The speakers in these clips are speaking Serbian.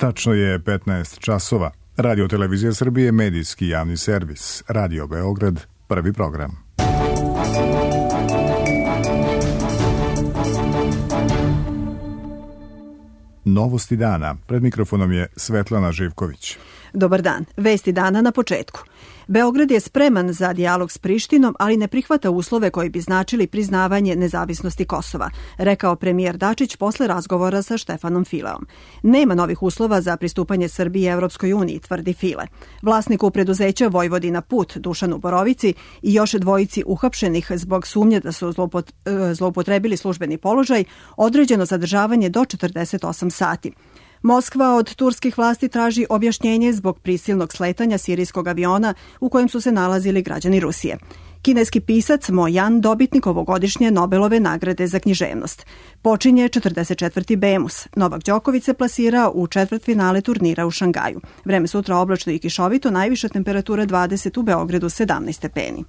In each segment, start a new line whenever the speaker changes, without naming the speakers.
Tačno je 15 časova. Radio Televizija Srbije, medijski javni servis. Radio Beograd, prvi program. Novosti dana. Pred mikrofonom je Svetlana Živković.
Dobar dan. Vesti dana na početku. Beograd je spreman za dijalog s Prištinom, ali ne prihvata uslove koji bi značili priznavanje nezavisnosti Kosova, rekao premijer Dačić posle razgovora sa Štefanom Fileom. Nema novih uslova za pristupanje Srbije Evropskoj uniji, tvrdi File. Vlasniku preduzeća Vojvodina Put, Dušanu Borovici, i još dvojici uhapšenih zbog sumnje da su zloupotrebili službeni položaj, određeno zadržavanje do 48 sati. Moskva od turskih vlasti traži objašnjenje zbog prisilnog sletanja sirijskog aviona u kojem su se nalazili građani Rusije. Kineski pisac Mo Yan, dobitnik ovogodišnje Nobelove nagrade za književnost. Počinje 44. Bemus. Novak Đoković se plasirao u četvrtfinale turnira u Šangaju. Vreme sutra oblačno i kišovito, najviša temperatura 20, u Beogradu 17 stepeni.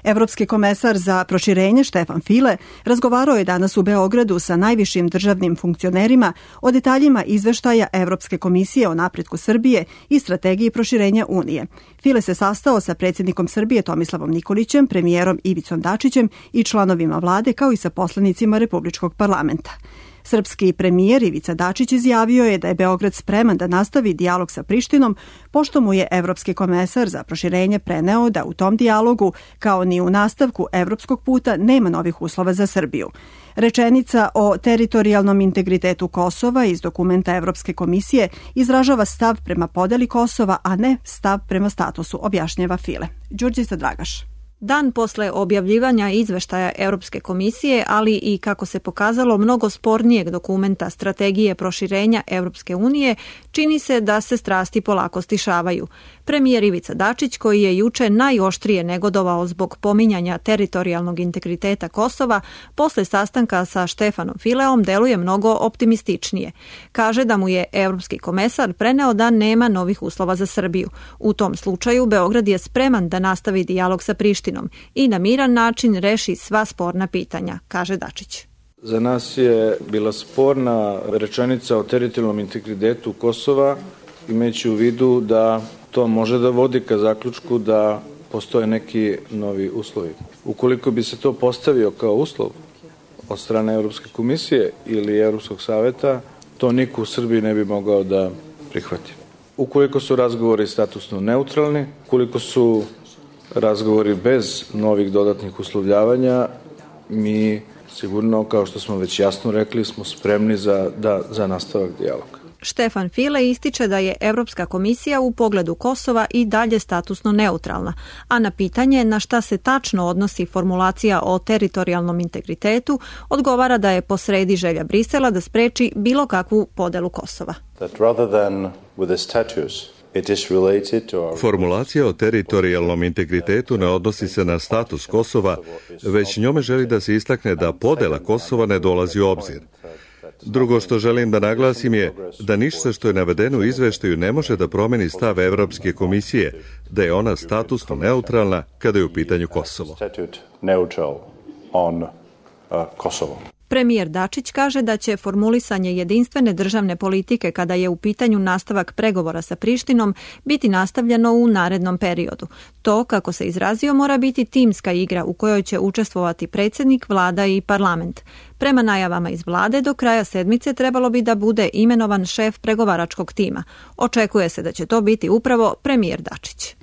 Evropski komesar za proširenje Štefan File razgovarao je danas u Beogradu sa najvišim državnim funkcionerima o detaljima izveštaja Evropske komisije o napretku Srbije i strategiji proširenja Unije. File se sastao sa predsjednikom Srbije Tomislavom Nikolićem, premijerom Ivicom Dačićem i članovima vlade, kao i sa poslanicima Republičkog parlamenta. Srpski premijer Ivica Dačić izjavio je da je Beograd spreman da nastavi dijalog sa Prištinom, pošto mu je Evropski komesar za proširenje preneo da u tom dijalogu, kao ni u nastavku evropskog puta, nema novih uslova za Srbiju. Rečenica o teritorijalnom integritetu Kosova iz dokumenta Evropske komisije izražava stav prema podeli Kosova, a ne stav prema statusu, objašnjava File. Đurđica Dragaš.
Dan posle objavljivanja izveštaja Europske komisije, ali i, kako se pokazalo, mnogo spornijeg dokumenta strategije proširenja Europske unije, čini se da se strasti polako stišavaju. Premijer Ivica Dačić, koji je juče najoštrije negodovao zbog pominjanja teritorijalnog integriteta Kosova, posle sastanka sa Štefanom Fileom deluje mnogo optimističnije. Kaže da mu je evropski komesar preneo da nema novih uslova za Srbiju. U tom slučaju Beograd je spreman da nastavi dijalog sa Prištinom i na miran način reši sva sporna pitanja, kaže Dačić.
Za nas je bila sporna rečenica o teritorijalnom integritetu Kosova, imajući u vidu da to može da vodi ka zaključku da postoje neki novi uslovi. Ukoliko bi se to postavio kao uslov od strane Evropske komisije ili Evropskog saveta, to niko u Srbiji ne bi mogao da prihvati. Ukoliko su razgovori statusno neutralni, ukoliko su razgovori bez novih dodatnih uslovljavanja, mi sigurno, kao što smo već jasno rekli, smo spremni za nastavak dijaloga.
Štefan File ističe da je Evropska komisija u pogledu Kosova i dalje statusno neutralna, a na pitanje na šta se tačno odnosi formulacija o teritorijalnom integritetu odgovara da je posredi želja Brisela da spreči bilo kakvu podelu Kosova.
Formulacija o teritorijalnom integritetu ne odnosi se na status Kosova, već njome želi da se istakne da podela Kosova ne dolazi u obzir. Drugo što želim da naglasim je da ništa što je navedeno u izveštaju ne može da promeni stav Evropske komisije, da je ona statusno neutralna kada je u pitanju Kosovo.
Premijer Dačić kaže da će formulisanje jedinstvene državne politike kada je u pitanju nastavak pregovora sa Prištinom biti nastavljeno u narednom periodu. To, kako se izrazio, mora biti timska igra u kojoj će učestvovati predsjednik, vlada i parlament. Prema najavama iz vlade, do kraja sedmice trebalo bi da bude imenovan šef pregovaračkog tima. Očekuje se da će to biti upravo premijer Dačić.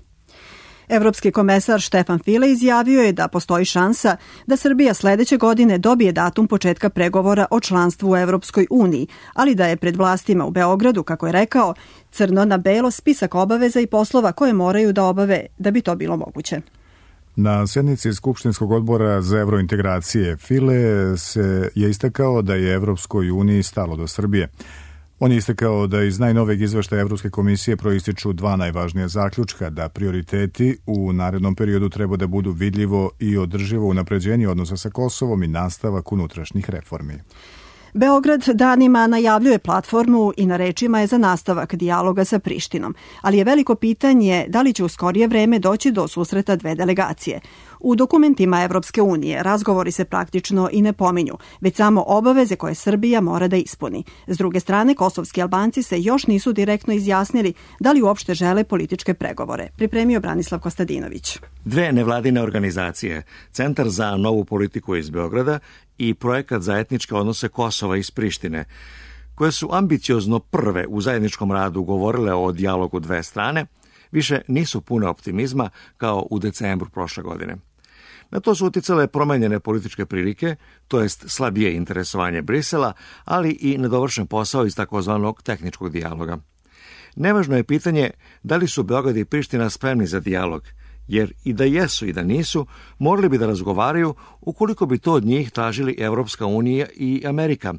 Evropski komesar Štefan File izjavio je da postoji šansa da Srbija sledeće godine dobije datum početka pregovora o članstvu u Evropskoj uniji, ali da je pred vlastima u Beogradu, kako je rekao, crno na belo spisak obaveza i poslova koje moraju da obave da bi to bilo moguće.
Na sjednici Skupštinskog odbora za evrointegracije File je istakao da je Evropskoj uniji stalo do Srbije. On je istakao da iz najnovijeg izveštaja Evropske komisije proističu dva najvažnija zaključka, da prioriteti u narednom periodu treba da budu vidljivo i održivo unapređenje odnosa sa Kosovom i nastavak unutrašnjih reformi.
Beograd danima najavljuje platformu i na rečima je za nastavak dijaloga sa Prištinom, ali je veliko pitanje da li će u skorije vreme doći do susreta dve delegacije. U dokumentima Evropske unije razgovori se praktično i ne pominju, već samo obaveze koje Srbija mora da ispuni. S druge strane, kosovski Albanci se još nisu direktno izjasnili da li uopšte žele političke pregovore. Pripremio Branislav Kostadinović.
Dve nevladine organizacije, Centar za novu politiku iz Beograda i Projekat za etničke odnose Kosova iz Prištine, koje su ambiciozno prve u zajedničkom radu govorile o dijalogu dve strane, više nisu pune optimizma kao u decembru prošle godine. Na to su uticale promenjene političke prilike, to jest slabije interesovanje Brisela, ali i nedovršen posao iz takozvanog tehničkog dijaloga. Nevažno je pitanje da li su Beograd i Priština spremni za dijalog, jer i da jesu i da nisu, morali bi da razgovaraju ukoliko bi to od njih tražili Evropska unija i Amerika,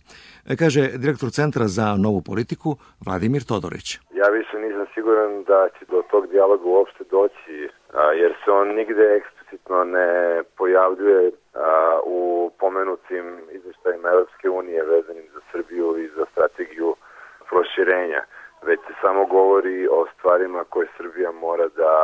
kaže direktor Centra za novu politiku Vladimir Todorić.
Ja više nisam siguran da će do tog dijaloga uopšte doći, jer se on nigde eksplicitno ne pojavljuje u pomenutim izveštajima Evropske unije vezanim za Srbiju i za strategiju proširenja, već se samo govori o stvarima koje Srbija mora da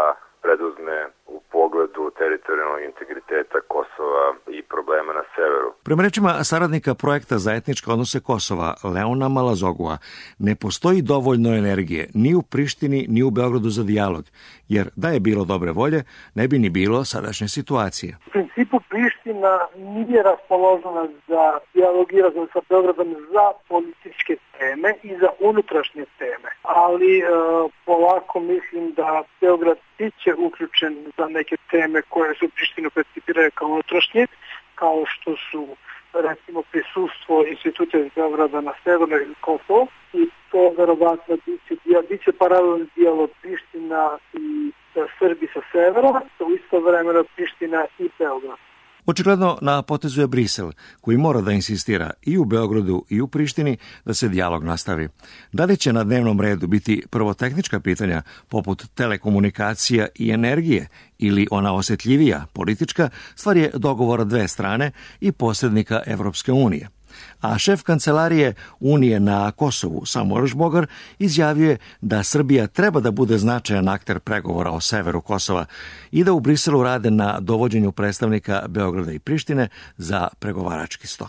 preduzme u pogledu teritorijalnog integriteta Kosova i problema na severu.
Prema rečima saradnika Projekta za etničke odnose Kosova, Leona Malazogua, ne postoji dovoljno energije ni u Prištini ni u Beogradu za dijalog, jer da je bilo dobre volje, ne bi ni bilo sadašnje situacije.
U principu Priština nije raspoložena za dijalog i razgovor sa Beogradom za političke teme i za unutrašnje teme, ali polako mislim da Beograd biće uključen za neke teme koje su Prištinu percipiraju kao unutrašnje, kao što su recimo prisustvo institucija iz Beograda na severnoj Kosovo, i to verovatno biće paralelni dijalog Priština i Srbi sa severa, u isto vremena Priština i Beograd.
Očigledno na potezu je Brisel, koji mora da insistira i u Beogradu i u Prištini da se dijalog nastavi. Da li će na dnevnom redu biti prvo tehnička pitanja poput telekomunikacija i energije ili ona osjetljivija, politička, stvar je dogovora dve strane i posrednika Evropske unije. A šef kancelarije Unije na Kosovu, Samuel Žbogar, izjavio je da Srbija treba da bude značajan akter pregovora o severu Kosova i da u Briselu rade na dovođenju predstavnika Beograda i Prištine za pregovarački sto.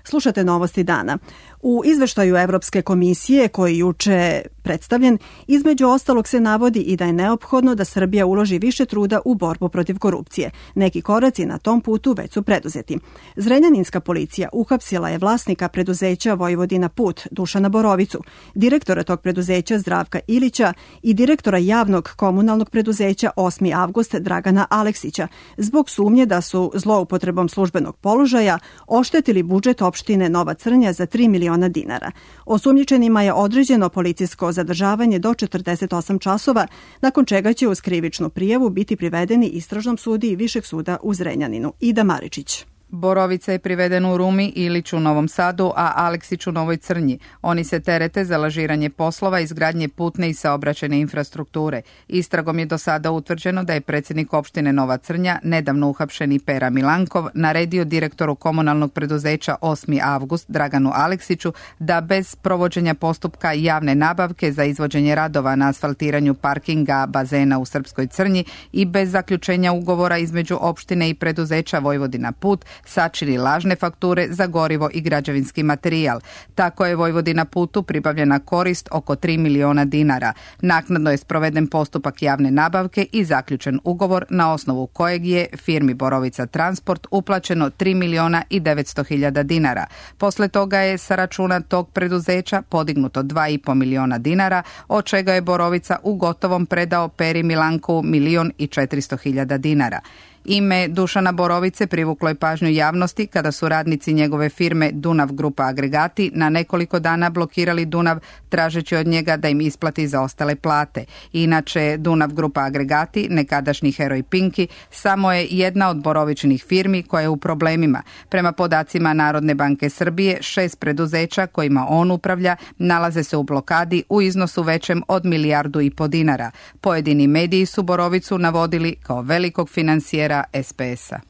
Slušate Novosti dana. U izveštaju Evropske komisije koji juče predstavljen, između ostalog se navodi i da je neophodno da Srbija uloži više truda u borbu protiv korupcije. Neki koraci na tom putu već su preduzeti. Zrenjaninska policija uhapsila je vlasnika preduzeća Vojvodina Put, Dušana Borovicu, direktora tog preduzeća Zdravka Ilića i direktora javnog komunalnog preduzeća 8. avgust Dragana Aleksića, zbog sumnje da su zloupotrebom službenog položaja oštetili budžet opštine Nova Crnja za 3 miliona dinara. Osumnjičenima je određeno policijsko zadržavanje do 48 časova, nakon čega će uz krivičnu prijavu biti privedeni istražnom sudiji Višeg suda u Zrenjaninu. Ida Maričić.
Borovica je priveden u Rumi, Ilić u Novom Sadu, a Aleksić u Novoj Crnji. Oni se terete za lažiranje poslova izgradnje putne i saobraćajne infrastrukture. Istragom je do sada utvrđeno da je predsjednik opštine Nova Crnja, nedavno uhapšeni Pera Milankov, naredio direktoru komunalnog preduzeća 8. avgust Draganu Aleksiću da bez provođenja postupka javne nabavke za izvođenje radova na asfaltiranju parkinga bazena u Srpskoj Crnji i bez zaključenja ugovora između opštine i preduzeća Vojvodina Put sačini lažne fakture za gorivo i građevinski materijal. Tako je Vojvodina Putu pribavljena korist oko 3 miliona dinara. Naknadno je sproveden postupak javne nabavke i zaključen ugovor na osnovu kojeg je firmi Borovica Transport uplaćeno 3 miliona i 900 hiljada dinara. Posle toga je sa računa tog preduzeća podignuto 2,5 miliona dinara, od čega je Borovica u gotovom predao Peri Milankovu 1.400.000 dinara. Ime Dušana Borovice privuklo je pažnju javnosti kada su radnici njegove firme Dunav Grupa Agregati na nekoliko dana blokirali Dunav tražeći od njega da im isplati zaostale plate. Inače, Dunav Grupa Agregati, nekadašnji heroj Pinki, samo je jedna od Borovičinih firmi koja je u problemima. Prema podacima Narodne banke Srbije, 6 preduzeća kojima on upravlja nalaze se u blokadi u iznosu većem od 1,5 milijardu dinara. Pojedini mediji su Borovicu navodili kao velikog finansijera SPS-a.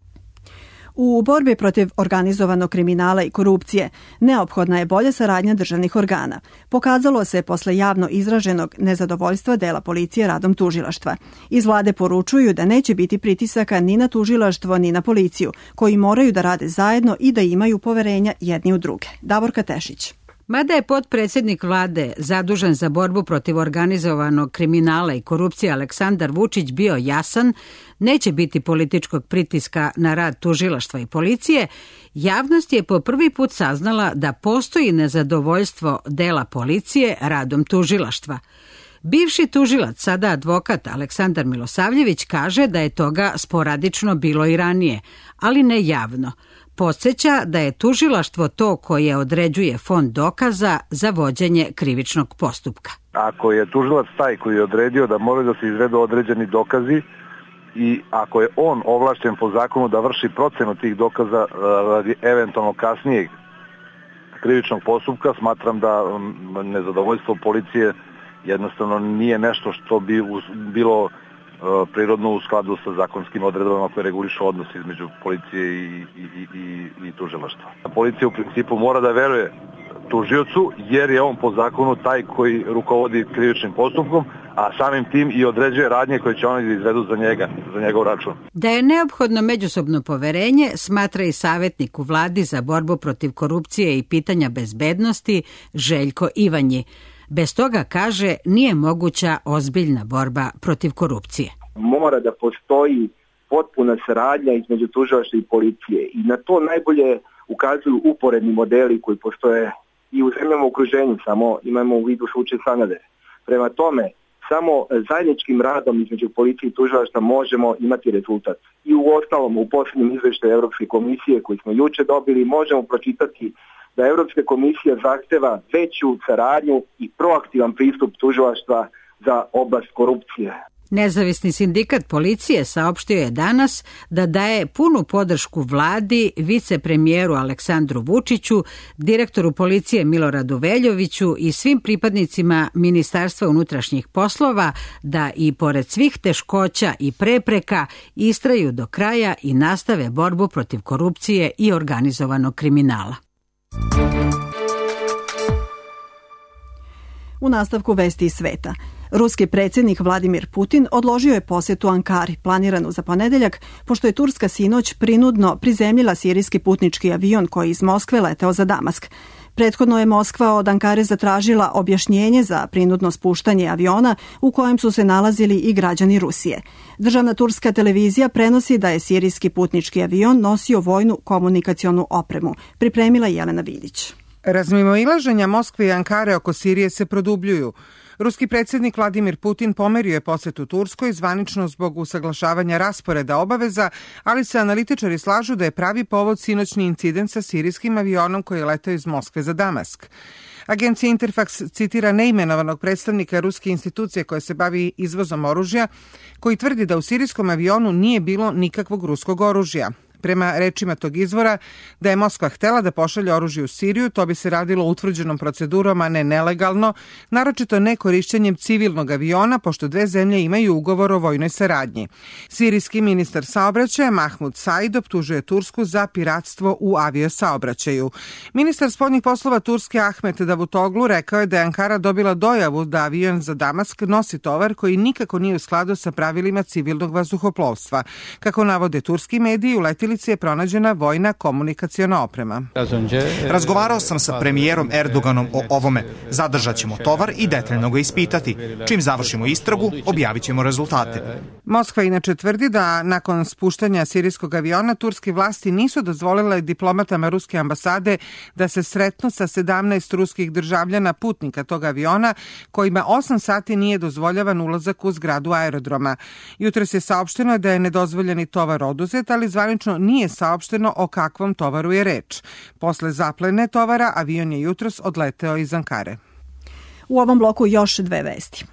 U borbi protiv organizovanog kriminala i korupcije neophodna je bolja saradnja državnih organa. Pokazalo se posle javno izraženog nezadovoljstva dela policije radom tužilaštva. Iz vlade poručuju da neće biti pritisaka ni na tužilaštvo ni na policiju, koji moraju da rade zajedno i da imaju poverenja jedni u druge. Davorka Tešić.
Mada je potpredsjednik vlade zadužen za borbu protiv organizovanog kriminala i korupcije Aleksandar Vučić bio jasan, neće biti političkog pritiska na rad tužilaštva i policije, javnost je po prvi put saznala da postoji nezadovoljstvo dela policije radom tužilaštva. Bivši tužilac, sada advokat Aleksandar Milosavljević, kaže da je toga sporadično bilo i ranije, ali ne javno. Podsjeća da je tužilaštvo to koje određuje fond dokaza za vođenje krivičnog postupka.
Ako je tužilac taj koji je odredio da moraju da se izvedu određeni dokazi i ako je on ovlašćen po zakonu da vrši procenu tih dokaza radi eventualno kasnijeg krivičnog postupka, smatram da nezadovoljstvo policije jednostavno nije nešto što bi bilo prirodno u skladu sa zakonskim odredbama koje regulišu odnos između policije i tužilaštva. Policija u principu mora da veruje tužiocu jer je on po zakonu taj koji rukovodi krivičnim postupkom, a samim tim i određuje radnje koje će oni izvedu za njegov račun.
Da je neophodno međusobno poverenje, smatra i savjetnik u vladi za borbu protiv korupcije i pitanja bezbednosti Željko Ivanji. Bez toga, kaže, nije moguća ozbiljna borba protiv korupcije.
Mora da postoji potpuna saradnja između tužilaštva i policije i na to najbolje ukazuju uporedni modeli koji postoje i u zemljama u okruženju, samo imamo u vidu slučaj Sanader. Prema tome, samo zajedničkim radom između policije i tužilaštva možemo imati rezultat. I u ostalom, u posljednjem izveštaju Evropske komisije koji smo juče dobili, možemo pročitati da Evropska komisija zahteva veću saradnju i proaktivan pristup tužilaštva za oblast korupcije.
Nezavisni sindikat policije saopštio je danas da daje punu podršku vladi, vicepremijeru Aleksandru Vučiću, direktoru policije Miloradu Veljoviću i svim pripadnicima Ministarstva unutrašnjih poslova da i pored svih teškoća i prepreka istraju do kraja i nastave borbu protiv korupcije i organizovanog kriminala.
U nastavku vesti iz sveta. Ruski predsjednik Vladimir Putin odložio je posjetu Ankari, planiranu za ponedeljak, pošto je Turska sinoć prinudno prizemljila sirijski putnički avion koji iz Moskve leteo za Damask. Prethodno je Moskva od Ankare zatražila objašnjenje za prinudno spuštanje aviona u kojem su se nalazili i građani Rusije. Državna turska televizija prenosi da je sirijski putnički avion nosio vojnu komunikacionu opremu. Pripremila Jelena Vidić.
Razmimoilaženja Moskve i Ankare oko Sirije se produbljuju. Ruski predsjednik Vladimir Putin pomerio je posjetu Turskoj zvanično zbog usaglašavanja rasporeda obaveza, ali se analitičari slažu da je pravi povod sinoćni incident sa sirijskim avionom koji je leteo iz Moskve za Damask. Agencija Interfax citira neimenovanog predstavnika ruske institucije koja se bavi izvozom oružja, koji tvrdi da u sirijskom avionu nije bilo nikakvog ruskog oružja. Prema rečima tog izvora, da je Moskva htela da pošalje oružje u Siriju, to bi se radilo utvrđenom procedurom, a ne nelegalno, naročito ne korišćenjem civilnog aviona, pošto dve zemlje imaju ugovor o vojnoj saradnji. Sirijski ministar saobraćaja Mahmud Said optužuje Tursku za piratstvo u aviosaobraćaju. Ministar spoljnih poslova Turske Ahmet Davutoglu rekao je da je Ankara dobila dojavu da avion za Damask nosi tovar koji nikako nije u skladu sa pravilima civilnog vazduhoplovstva. Kako navode turski mediji, u letilici je pronađena vojna komunikaciona oprema.
Razgovarao sam sa premijerom Erdoganom o ovome. Zadržat ćemo tovar i detaljno ga ispitati. Čim završimo istragu, objavit ćemo rezultate.
Moskva inače tvrdi da nakon spuštanja sirijskog aviona turske vlasti nisu dozvolile diplomatama ruske ambasade da se sretnu sa 17 ruskih državljana putnika tog aviona kojima 8 sati nije dozvoljavan ulazak u zgradu aerodroma. Jutros je saopšteno da je nedozvoljeni tovar oduzet, ali zvanično nije saopšteno o kakvom tovaru je reč. Posle zaplene tovara, avion je jutros odleteo iz Ankare.
U ovom bloku još dve vesti.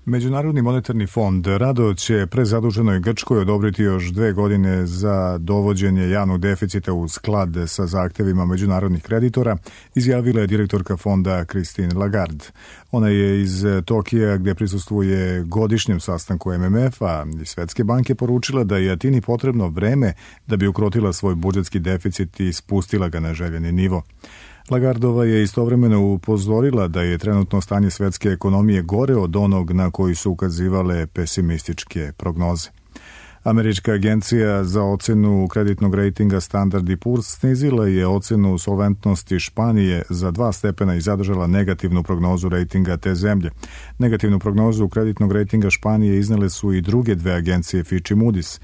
Međunarodni monetarni fond rado će prezaduženoj Grčkoj odobriti još 2 godine za dovođenje javnog deficita u sklad sa zahtevima međunarodnih kreditora, izjavila je direktorka fonda Christine Lagarde. Ona je iz Tokija, gdje prisustvuje godišnjem sastanku MMF-a i Svetske banke, poručila da je Atini potrebno vreme da bi ukrotila svoj budžetski deficit i spustila ga na željeni nivo. Lagardova je istovremeno upozorila da je trenutno stanje svetske ekonomije gore od onog na koji su ukazivale pesimističke prognoze. Američka agencija za ocenu kreditnog rejtinga Standard & Poor's snizila je ocenu solventnosti Španije za 2 stepena i zadržala negativnu prognozu rejtinga te zemlje. Negativnu prognozu kreditnog rejtinga Španije iznele su i druge 2 agencije Fitch i Moody's.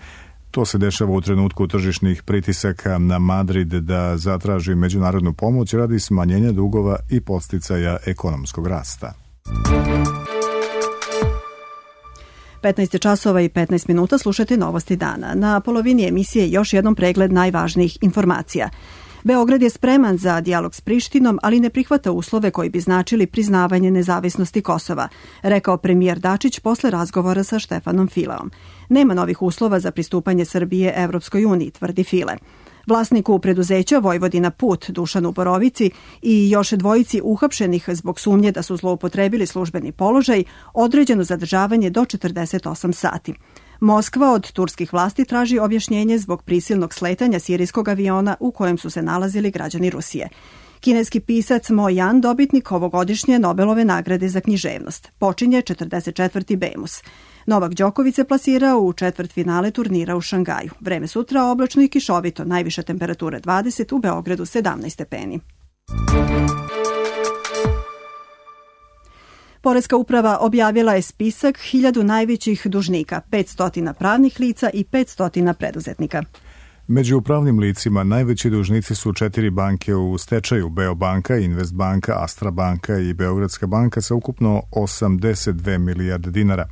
To se dešava u trenutku tržišnih pritisaka na Madrid da zatraži međunarodnu pomoć radi smanjenja dugova i podsticaja ekonomskog rasta.
15 časova i 15 minuta slušate Novosti dana. Na polovini emisije još jednom pregled najvažnijih informacija. Beograd je spreman za dijalog s Prištinom, ali ne prihvata uslove koji bi značili priznavanje nezavisnosti Kosova, rekao premijer Dačić posle razgovora sa Štefanom Fileom. Nema novih uslova za pristupanje Srbije Evropskoj uniji, tvrdi File. Vlasniku preduzeća Vojvodina Put, Dušanu Borovici i još 2 uhapšenih zbog sumnje da su zloupotrebili službeni položaj, određeno zadržavanje do 48 sati. Moskva od turskih vlasti traži objašnjenje zbog prisilnog sletanja sirijskog aviona u kojem su se nalazili građani Rusije. Kineski pisac Mo Yan, dobitnik ovogodišnje Nobelove nagrade za književnost. Počinje 44. Bemus. Novak Đoković se plasirao u četvrtfinale turnira u Šangaju. Vreme sutra oblačno i kišovito, najviša temperatura 20, u Beogradu 17 stepeni. Poreska uprava objavila je spisak 1000 najvećih dužnika, 500 pravnih lica i 500 preduzetnika.
Među pravnim licima najveći dužnici su 4 banke u stečaju: Beobanka, Investbanka, Astra banka i Beogradska banka sa ukupno 82 milijarde dinara.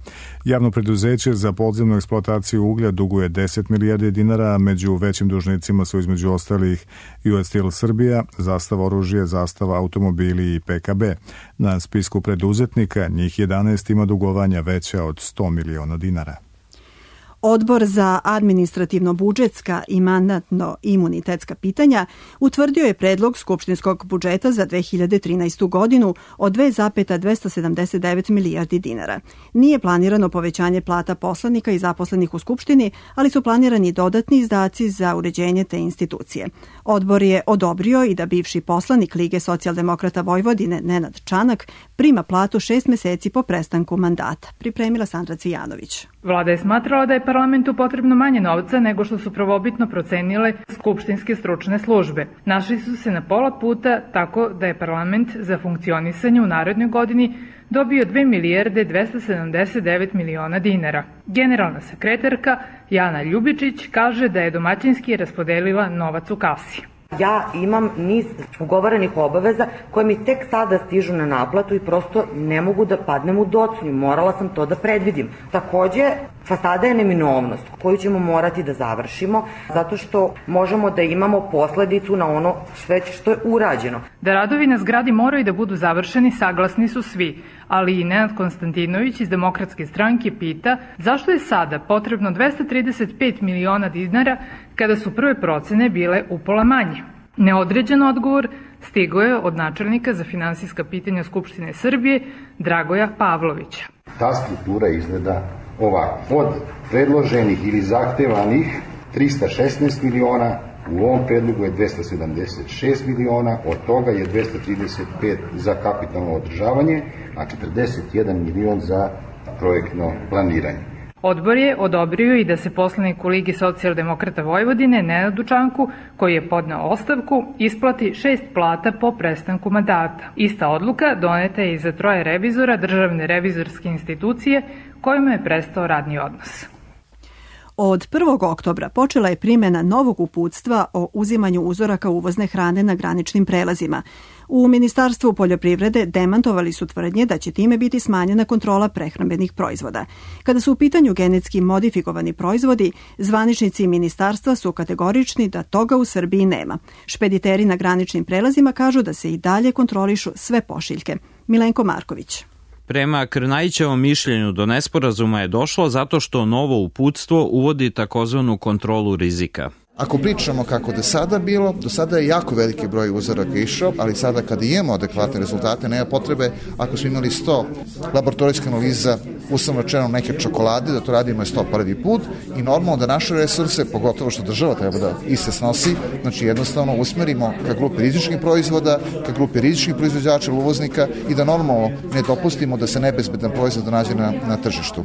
Javno preduzeće za podzemnu eksploataciju uglja duguje 10 milijardi dinara, a među većim dužnicima su između ostalih US Steel Srbija, Zastava oružje, Zastava automobili i PKB. Na spisku preduzetnika njih 11 ima dugovanja veća od 100 miliona dinara.
Odbor za administrativno-budžetska i mandatno-imunitetska pitanja utvrdio je predlog skupštinskog budžeta za 2013. godinu od 2,279 milijardi dinara. Nije planirano povećanje plata poslanika i zaposlenih u Skupštini, ali su planirani dodatni izdaci za uređenje te institucije. Odbor je odobrio i da bivši poslanik Lige socijaldemokrata Vojvodine Nenad Čanak prima platu 6 meseci po prestanku mandata. Pripremila Sandra Cvijanović.
Vlada je smatrala da je parlamentu potrebno manje novca nego što su prvobitno procenile skupštinske stručne službe. Našli su se na pola puta, tako da je parlament za funkcionisanje u narednoj godini dobio 2 milijarde 279 miliona dinara. Generalna sekretarka Jana Ljubičić kaže da je domaćinski raspodelila novac u kasi.
Ja imam niz ugovorenih obaveza koje mi tek sada stižu na naplatu i prosto ne mogu da padnem u docnju. Morala sam to da predvidim. Takođe, fasada je neminovnost koju ćemo morati da završimo zato što možemo da imamo posledicu na ono sve što je urađeno.
Da radovi na zgradi moraju da budu završeni saglasni su svi, ali i Nenad Konstantinović iz Demokratske stranke pita zašto je sada potrebno 235 miliona dinara kada su prve procene bile upola manje. Neodređen odgovor stigao je od načelnika za finansijska pitanja Skupštine Srbije Dragoja Pavlovića.
Ta struktura izgleda ovako. Od predloženih ili zahtevanih 316 miliona, u ovom predlogu je 276 miliona, od toga je 235 za kapitalno održavanje, a 41 milion za projektno planiranje.
Odbor je odobrio i da se poslaniku Ligi socijaldemokrata Vojvodine Nenadu Čanku, koji je podneo ostavku, isplati 6 plata po prestanku mandata. Ista odluka doneta je i za 3 revizora Državne revizorske institucije kojima je prestao radni odnos.
Od 1. oktobra počela je primjena novog uputstva o uzimanju uzoraka uvozne hrane na graničnim prelazima. U Ministarstvu poljoprivrede demantovali su tvrdnje da će time biti smanjena kontrola prehrambenih proizvoda. Kada su u pitanju genetski modifikovani proizvodi, zvaničnici ministarstva su kategorični da toga u Srbiji nema. Špediteri na graničnim prelazima kažu da se i dalje kontrolišu sve pošiljke. Milenko Marković.
Prema Krnajićevom mišljenju do nesporazuma je došlo zato što novo uputstvo uvodi takozvanu kontrolu rizika.
Ako pričamo kako do sada bilo, do sada je jako veliki broj uzoraka išao, ali sada kada imamo adekvatne rezultate, nema potrebe, ako smo imali 100 laboratorijskih analiza, uslovno rečeno neke čokolade, da to radimo 100 prvi put i normalno da naše resurse, pogotovo što država treba da iste snosi, znači jednostavno usmerimo ka grupi rizičnih proizvoda, ka grupi rizičnih proizvođača, uvoznika i da normalno ne dopustimo da se nebezbedan proizvod nađe na tržištu.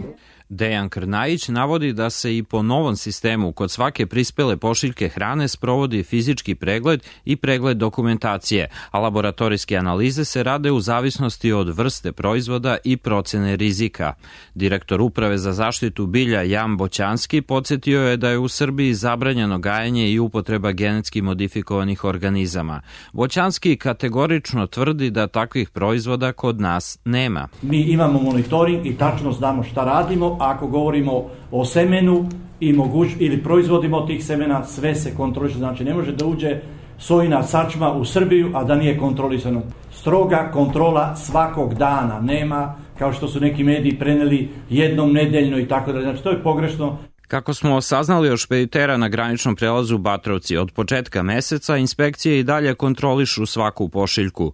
Dejan Krnajić navodi da se i po novom sistemu kod svake prispele pošiljke hrane sprovodi fizički pregled i pregled dokumentacije, a laboratorijske analize se rade u zavisnosti od vrste proizvoda i procene rizika. Direktor Uprave za zaštitu bilja Jan Boćanski podsjetio je da je u Srbiji zabranjeno gajenje i upotreba genetski modifikovanih organizama. Boćanski kategorično tvrdi da takvih proizvoda kod nas nema.
Mi imamo monitoring i tačno znamo šta radimo. Ako govorimo o semenu ili proizvodimo od tih semena, sve se kontroliše. Znači ne može da uđe sojina sačma u Srbiju, a da nije kontrolisano. Stroga kontrola svakog dana. Nema, kao što su neki mediji preneli, jednom nedeljno i tako dalje. Znači to je pogrešno.
Kako smo saznali od špeditera na graničnom prelazu Batrovci, od početka meseca inspekcije i dalje kontrolišu svaku pošiljku.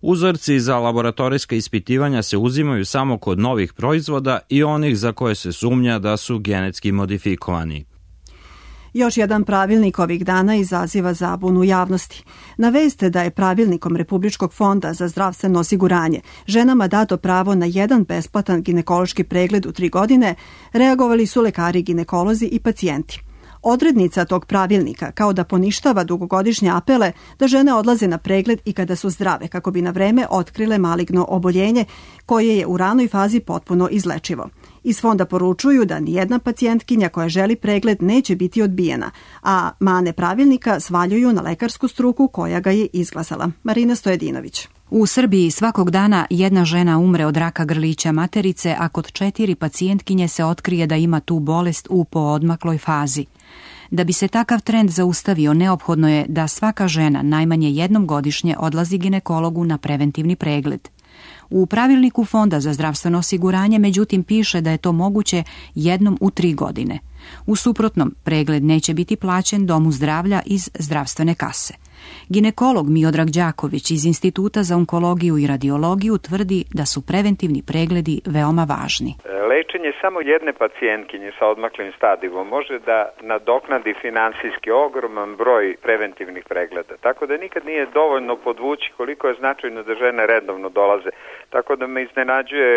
Uzorci za laboratorijska ispitivanja se uzimaju samo kod novih proizvoda i onih za koje se sumnja da su genetski modifikovani.
Još jedan pravilnik ovih dana izaziva zabunu javnosti. Na vest da je pravilnikom Republičkog fonda za zdravstveno osiguranje ženama dato pravo na jedan besplatan ginekološki pregled u 3 godine, reagovali su lekari, ginekolozi i pacijenti. Odrednica tog pravilnika kao da poništava dugogodišnje apele da žene odlaze na pregled i kada su zdrave kako bi na vreme otkrile maligno oboljenje koje je u ranoj fazi potpuno izlečivo. Iz fonda poručuju da nijedna pacijentkinja koja želi pregled neće biti odbijena, a mane pravilnika svaljuju na lekarsku struku koja ga je izglasala. Marina Stojedinović.
U Srbiji svakog dana jedna žena umre od raka grlića materice, a kod 4 pacijentkinje se otkrije da ima tu bolest u poodmakloj fazi. Da bi se takav trend zaustavio, neophodno je da svaka žena najmanje jednom godišnje odlazi ginekologu na preventivni pregled. U pravilniku Fonda za zdravstveno osiguranje međutim piše da je to moguće jednom u 3 godine. U suprotnom, pregled neće biti plaćen domu zdravlja iz zdravstvene kase. Ginekolog Miodrag Đaković iz Instituta za onkologiju i radiologiju tvrdi da su preventivni pregledi veoma važni.
Lečenje samo jedne pacijentkinje sa odmaklim stadijom može da nadoknadi finansijski ogroman broj preventivnih pregleda. Tako da nikad nije dovoljno podvući koliko je značajno da žene redovno dolaze. Tako da me iznenađuje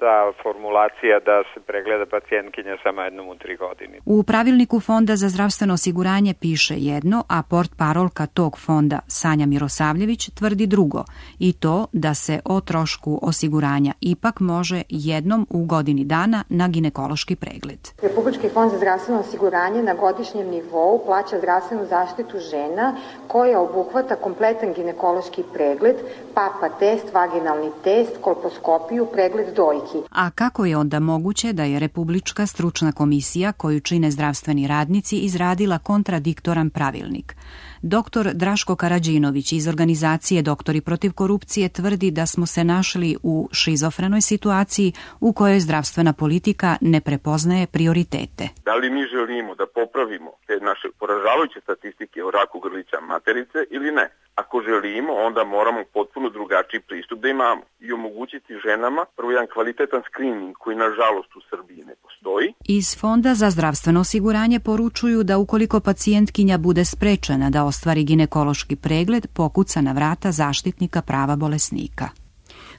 ta formulacija da se pregleda pacijentkinja samo jednom u 3 godine.
U pravilniku Fonda za zdravstveno osiguranje piše jedno, a portparolka tog fonda Sanja Mirosavljević tvrdi drugo, i to da se o trošku osiguranja ipak može jednom u godini dana na ginekološki pregled.
Republički fond za zdravstveno osiguranje na godišnjem nivou plaća zdravstvenu zaštitu žena koja obuhvata kompletan ginekološki pregled, papa test, vaginalni test, kolposkopiju, pregled dojki.
A kako je onda moguće da je Republička stručna komisija koju čine zdravstveni radnici izradila kontradiktoran pravilnik? Dr. Draško Karadžinović iz organizacije Doktori protiv korupcije tvrdi da smo se našli u šizofrenoj situaciji u kojoj zdravstvena politika ne prepoznaje prioritete.
Da li mi želimo da popravimo te naše poražavajuće statistike o raku grlića materice ili ne? Ako želimo, onda moramo potpuno drugačiji pristup da imamo i omogućiti ženama prvo jedan kvalitetan screening koji nažalost u Srbiji ne postoji.
Iz Fonda za zdravstveno osiguranje poručuju da ukoliko pacijentkinja bude sprečena da ostvari ginekološki pregled, pokuca na vrata zaštitnika prava bolesnika.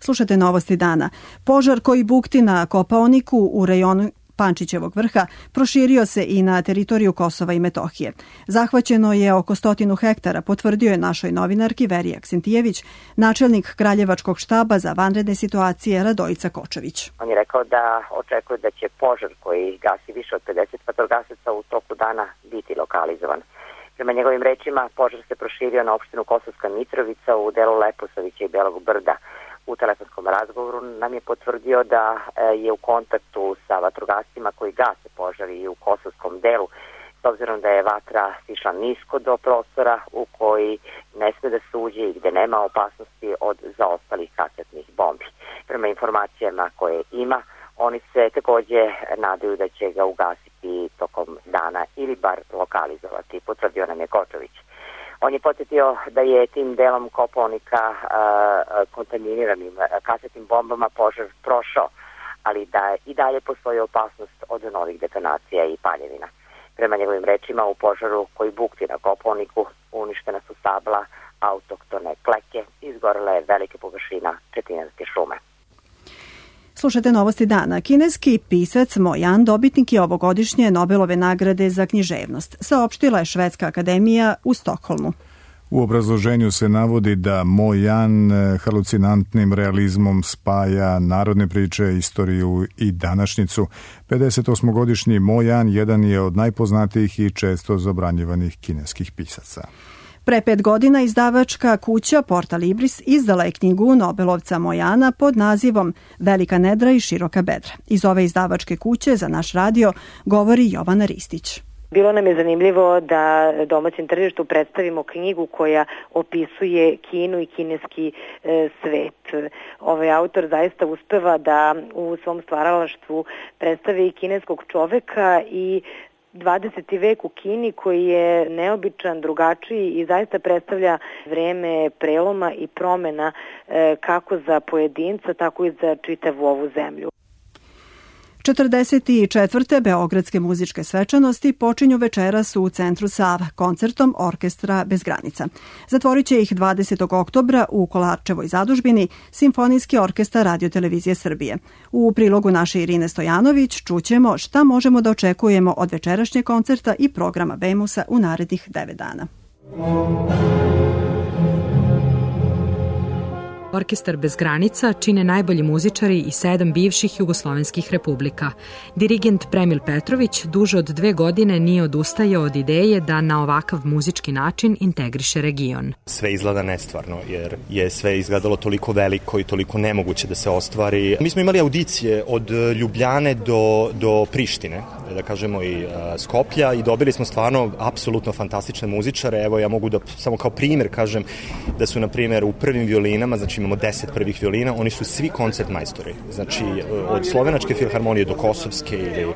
Slušajte novosti dana. Požar koji bukti na Kopaoniku u rejonu Pančićevog vrha proširio se i na teritoriju Kosova i Metohije. Zahvaćeno je oko 100 hektara, potvrdio je našoj novinarki Verija Aksentijević, načelnik Kraljevačkog štaba za vanredne situacije Radojica Kočević.
On je rekao da očekuje da će požar koji gasi više od 50 vatrogasaca u toku dana biti lokalizovan. Prema njegovim rečima, požar se proširio na opštinu Kosovska Mitrovica u delu Leposavića i Belog Brda. U telefonskom razgovoru nam je potvrdio da je u kontaktu sa vatrogascima koji gase požari u kosovskom delu, s obzirom da je vatra sišla nisko do prostora u koji ne sme da se uđe i gde nema opasnosti od zaostalih kasetnih bombi. prema informacijama koje ima, oni se takođe nadaju da će ga ugasiti tokom dana ili bar lokalizovati, potvrdio nam je Kočović. On je podsjetio da je tim delom Kopaonika kontaminiranim kasetnim bombama požar prošao, ali da i dalje postoji opasnost od novih detonacija i paljevina. Prema njegovim rečima, u požaru koji bukti na Kopaoniku uništena su stabla, autoktone kleke, izgorela je velika površina četinarske šume.
Slušajte novosti dana. Kineski pisac Mo Yan dobitnik je ovogodišnje Nobelove nagrade za književnost, saopštila je Švedska akademija u Stokholmu.
U obrazloženju se navodi da Mo Yan halucinantnim realizmom spaja narodne priče, istoriju i današnjicu. 58-godišnji Mo Yan jedan je od najpoznatijih i često zabranjivanih kineskih pisaca.
Pre 5 godina izdavačka kuća Porta Libris izdala je knjigu Nobelovca Mo Yana pod nazivom Velika nedra i široka bedra. Iz ove izdavačke kuće za naš radio govori Jovana Ristić.
Bilo nam je zanimljivo da domaćem tržištu predstavimo knjigu koja opisuje Kinu i kineski svet. Ovaj autor zaista uspeva da u svom stvaralaštvu predstavi i kineskog čoveka i 20. vek u Kini koji je neobičan, drugačiji i zaista predstavlja vreme preloma i promena kako za pojedinca, tako i za čitavu ovu zemlju.
44. Beogradske muzičke svečanosti počinju večeras u centru Sava koncertom Orkestra bez granica. Zatvorit će ih 20. oktobra u Kolarčevoj zadužbini Simfonijski orkestar Radio-televizije Srbije. U prilogu naše Irine Stojanović čućemo šta možemo da očekujemo od večerašnjeg koncerta i programa Bemusa u narednih 9 dana.
Orkestar bez granica čine najbolji muzičari iz 7 bivših jugoslovenskih republika. Dirigent Premil Petrović duže od 2 godine nije odustajao od ideje da na ovakav muzički način integriše region.
Sve izgleda nestvarno, jer je sve izgledalo toliko veliko i toliko nemoguće da se ostvari. Mi smo imali audicije od Ljubljane do Prištine, da kažemo i Skoplja, i dobili smo stvarno apsolutno fantastične muzičare. Evo, ja mogu da samo kao primjer kažem da su, na primjer, u prvim violinama, znači imamo 10 prvih violina, oni su svi koncert majstori. Znači, od Slovenačke filharmonije do Kosovske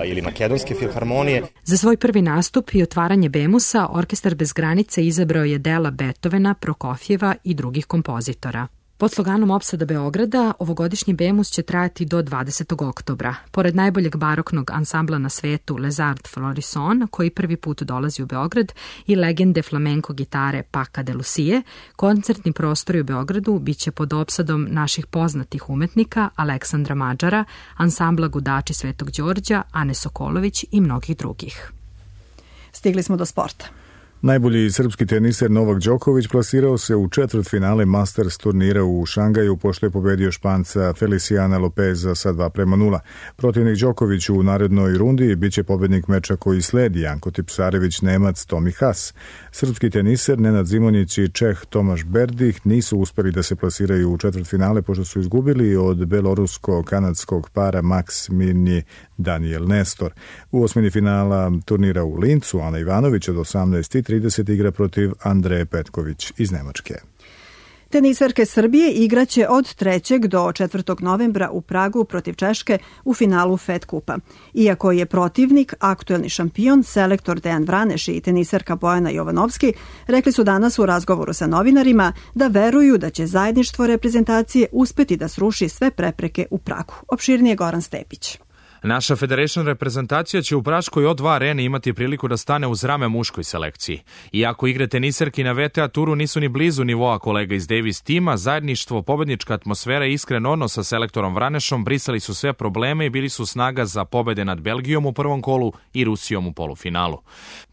ili Makedonske filharmonije.
Za svoj prvi nastup i otvaranje Bemusa, Orkestar bez granice izabrao je dela Beethovena, Prokofjeva i drugih kompozitora. Pod sloganom Opsada Beograda, ovogodišnji Bemus će trajati do 20. oktobra. Pored najboljeg baroknog ansambla na svetu Les Arts Florissant, koji prvi put dolazi u Beograd, i legende flamenko gitare Paca de Lucie, koncertni prostori u Beogradu biće pod opsadom naših poznatih umetnika Aleksandra Mađara, ansambla Gudači Svetog Đorđa, Ane Sokolović i mnogih drugih.
Stigli smo do sporta.
Najbolji srpski teniser Novak Đoković plasirao se u četvrtfinale Masters turnira u Šangaju pošto je pobedio Španca Feliciana Lopeza sa 2:0. Protivnik Đokoviću u narednoj rundi biće pobednik meča koji sledi Janko Tipsarević, Nemac Tomi Haas. Srpski teniser Nenad Zimonjić i Čeh Tomaš Berdih nisu uspeli da se plasiraju u četvrtfinale pošto su izgubili od belorusko-kanadskog para Max Mirnyi Daniel Nestor. U osmini finala turnira u Lincu Ana Ivanović od 18:30 igra protiv Andreje Petković iz Nemačke.
Tenisarke Srbije igraće od 3. do 4. novembra u Pragu protiv Češke u finalu Fed kupa. Iako je protivnik aktuelni šampion, selektor Dejan Vraneš i tenisarka Bojana Jovanovski rekli su danas u razgovoru sa novinarima da veruju da će zajedništvo reprezentacije uspeti da sruši sve prepreke u Pragu. Opširnije Goran Stepić.
Naša Federation reprezentacija će u praškoj O2 areni imati priliku da stane uz rame muškoj selekciji. Iako igre tenisarki na VTA turu nisu ni blizu nivoa kolega iz Davis tima, zajedništvo, pobednička atmosfera i iskren odnos sa selektorom Vranešom brisali su sve probleme i bili su snaga za pobede nad Belgijom u prvom kolu i Rusijom u polufinalu.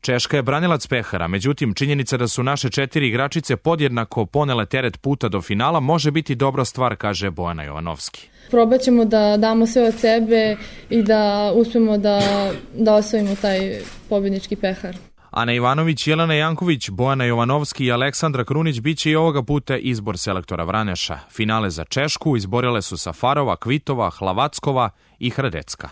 Češka je branilac pehara, međutim činjenica da su naše 4 igračice podjednako ponele teret puta do finala može biti dobra stvar, kaže Bojana Jovanovski.
Probat ćemo da damo sve od sebe i da uspemo da osvojimo taj pobjednički pehar.
Ana Ivanović, Jelena Janković, Bojana Jovanovski i Aleksandra Krunić biće i ovoga puta izbor selektora Vraneša. Finale za Češku izborile su Safarova, Kvitova, Hlavackova i Hradecka.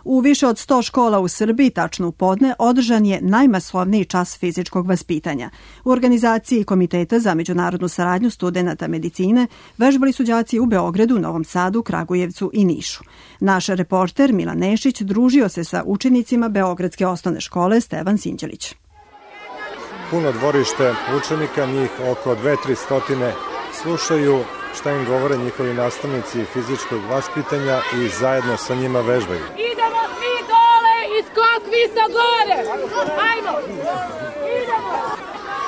U više od 100 škola u Srbiji, tačno u podne, održan je najmasovniji čas fizičkog vaspitanja. U organizaciji Komiteta za međunarodnu saradnju studenata medicine vežbali su đaci u Beogradu, Novom Sadu, Kragujevcu i Nišu. Naš reporter Milan Nešić družio se sa učenicima Beogradske osnovne škole Stevan Sinđelić.
Puno dvorište učenika, njih oko 200-300 slušaju šta im govore njihovi nastavnici fizičkog vaspitanja i zajedno sa njima vežbaju.
Idemo svi dole i skok visa gore! Ajmo! Idemo!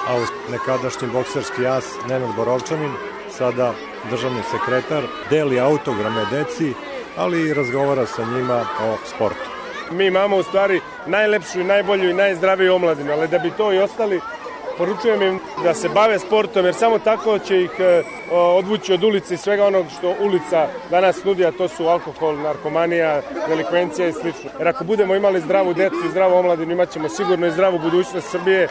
A uz nekadašnji bokserski as Nenad Borovčanin, sada državni sekretar, deli autograme deci, ali i razgovara sa njima o sportu.
Mi imamo u stvari najlepšu i najbolju i najzdraviju omladinu, ali da bi to i ostali, poručujem im da se bave sportom, jer samo tako će ih odvući od ulice i svega onog što ulica danas nudi, a to su alkohol, narkomanija, delikvencija i sl. Jer ako budemo imali zdravu decu i zdravu omladinu, imat ćemo sigurno i zdravu budućnost Srbije.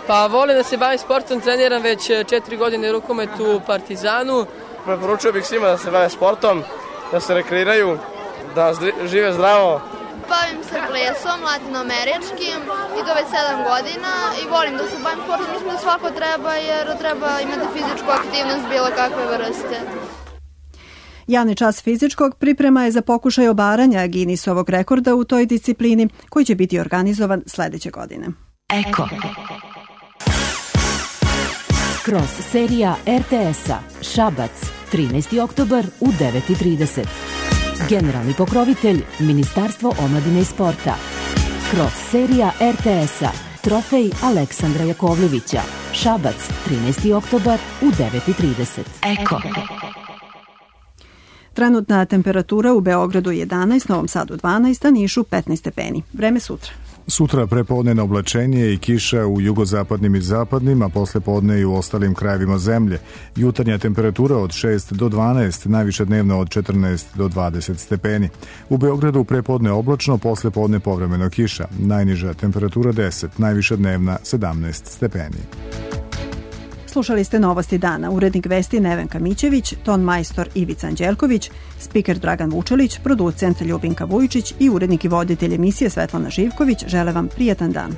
Pa volim da se bavim sportom, treniram već 4 godine rukomet u Partizanu.
Preporučio bih svima da se bave sportom, da se rekreiraju, da žive zdravo.
Bavim se plesom latinoameričkim i to već 7 godina i volim da se bavim sportom. Mislim da svako treba jer treba imati fizičku aktivnost bilo kakve vrste.
Javni čas fizičkog priprema je za pokušaj obaranja Guinnessovog rekorda u toj disciplini koji će biti organizovan sledeće godine.
Eko. Cross serija RTS-a Šabac, 13. oktobar u 9:30. Generalni pokrovitelj Ministarstvo omladine i sporta. Cross serija RTS-a Trofej Aleksandra Jakovljevića. Šabac, 13. oktobar u 9:30. Eko.
Trenutna temperatura u Beogradu 11, Novom Sadu 12, a Nišu 15 stepeni. Vreme sutra.
Sutra prepodnevno oblačenje i kiša u jugozapadnim i zapadnim, a posle podne i u ostalim krajevima zemlje. Jutarnja temperatura od 6 do 12, najviše dnevno od 14 do 20 stepeni. U Beogradu prepodne oblačno, posle podne povremeno kiša. Najniža temperatura 10, najviše dnevna 17 stepeni.
Slušali ste Novosti dana. Urednik vesti Nevenka Mićević, ton majstor Ivica Anđelković, spiker Dragan Vučelić, producent Ljubinka Vujičić i urednik i voditelj emisije Svetlana Živković žele vam prijatan dan.